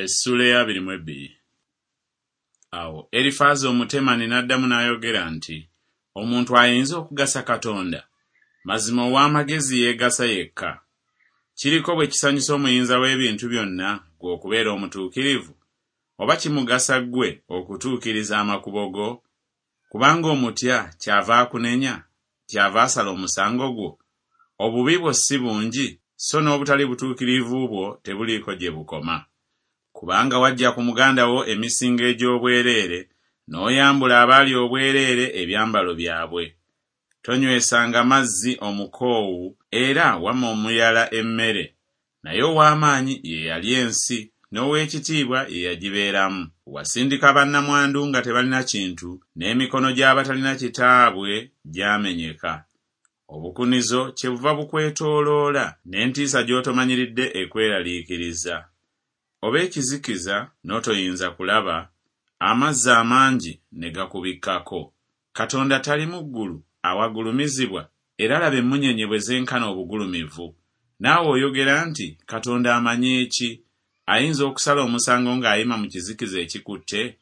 Essuula ey'abiri mu ebbiri. Awo Erifaazi Omutemani n'addamu n'ayogera nti, Omuntu ayinza okugasa Katonda? Mazima ow'amagezi yeegasa yekka. Kiriko bwe kisanyusa Omuyinza w'ebintu byonna ggwe okubeera omutuukirivu? Oba kimugasa ggwe okutuukiriza amakubo go? Kubanga omutya kyava akunenya, kyava asala omusango gwo? Obubi bwo si bungi, so n'obutali butuukirivu bwo tebuliiko gye bukoma. Kubanga waggya ku muganda wo emisingo egy'obwereere, n'oyambula abaali obwereere ebyambalo byabwe. Tonywesanga mazzi omukoowu, era wamma omuyala emmere. Naye ow'amaanyi ye yalya ensi, n'ow'ekitiibwa ye yagibeeramu. Wasindika bannamwandu nga tebalina kintu, n'emikono gy'abatalina kitaabwe gyamenyeka. Obukunizo kyebuva bukwetooloola, n'entiisa gy'otomanyiridde ekweraliikiriza. Oba ekizikiza, n'otoyinza kulaba, amazzi amangi ne gakubikkako. Katonda tali mu ggulu awagulumizibwa? Era laba emmunyeenye bwe zenkana obugulumivu. Naawe oyogera nti Katonda amanyi ki? Ayinza okusala omusango ng'ayima mu kizikiza ekikutte?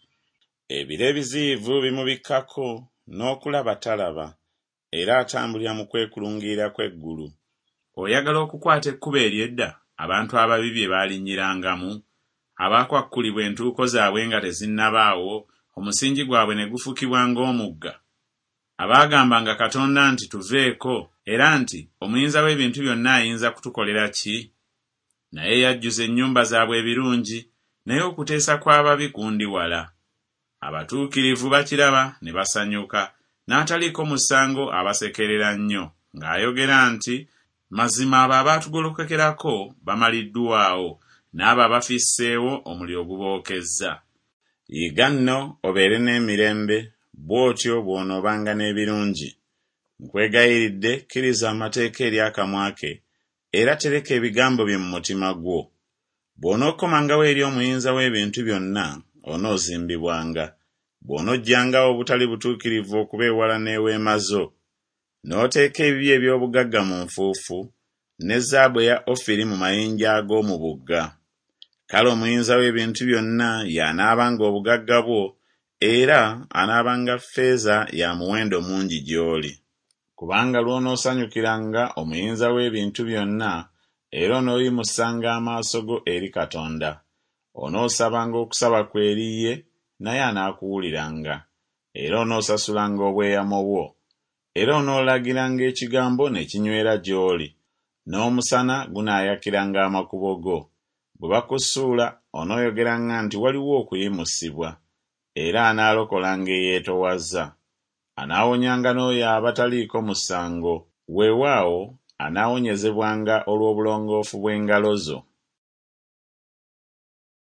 Ebire ebiziyivu bimubikkako, n'okulaba talaba, era atambulira mu kwekulungirira kw'eggulu. Oyagala okukwata ekkubo ery'edda, abantu ababi bye baalinnyirangamu, abaakwakkulibwa entuuko zaabwe nga tezinnabaawo, omusingi gwabwe ne gufukibwa ng'omugga? Abaagambanga Katonda nti, Tuveeko, era nti, Omuyinza w'ebintu byonna ayinza kutukolera ki? Naye yajjuza ennyumba zaabwe ebirungi, naye okuteesa kw'ababi kundi wala. Abatuukirivu bakiraba ne basanyuka, n'ataliiko musango abasekerera nnyo, ng'ayogera nti, Mazima abo abaatugolokokerako bamaliddwawo, n'abo abafisseewo omuliro gubookezza. Yiga nno obeere n'emirembe, bw'otyo bw'onoobanga n'ebirungi. Nkwegayiridde kkiriza amateeka eri akamwa ke, era tereka ebigambo bye mu mutima gwo. Bw'onookomangawo eri Omuyinza w'ebintu byonna, onoozimbibwanga, bw'onoggyangawo obutali butuukirivu okuba ewala n'eweema zo, n'oteeka ebibyo eby'obugagga mu nfuufu, ne zaabu eya Ofiri mu mayinja ag'omu bugga. Kale Omuyinza w'ebintu byonna y'anaabanga obugagga bwo, era anaabanga ffeeza ya muwendo mungi gy'oli. Kubanga lw'onoosanyukiranga Omuyinza w'ebintu byonna, era onooyimusanga amaaso go eri Katonda. Onoosabanga okusaba kwo eri ye, naye anaakuwuliranga, era onoosasulanga obweyamo bwo. Era onoolagiranga ekigambo ne kinywera gy'oli, n'omusana gunaayakiranga amakubo go. Bwe bakusuula onooyogeranga nti Waliwo okuyimusibwa, era anaalokolanga eyeetowazza. Anaawonyanga n'oyo aba taliiko musango, weewaawo, anaawonyezebwanga olw'obulongoofu bw'engalo zo.